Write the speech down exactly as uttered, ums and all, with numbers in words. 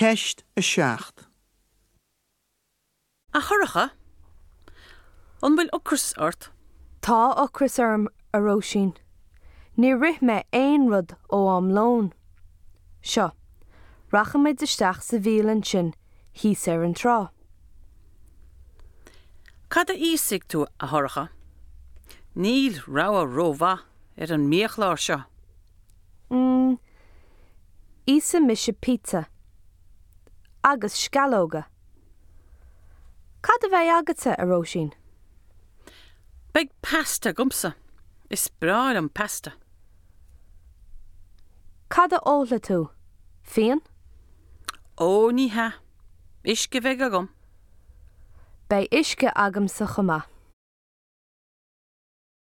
Ceist a seacht. A Shorcha, an bhfuil ocras ort? Tá ocras orm a Róisín. Níor ith mé aon rud ó am lóin. Seo, rachaimid isteach sa bhialann sin thíos ar an trá. Cad a íosfaidh tú a Shorcha? Níl rogha rómhaith ar an mbiachlár seo. Mm, Íosfaidh mise pizza. Agus sceallóga. Cad a bheidh agatsa a Róisín? Beidh pasta agamsa, is breá liom pasta. Cad a ólfaidh tú? Fíon? Ó ní hea, uisce a bheidh agam. Beidh uisce agamsa chomh maith.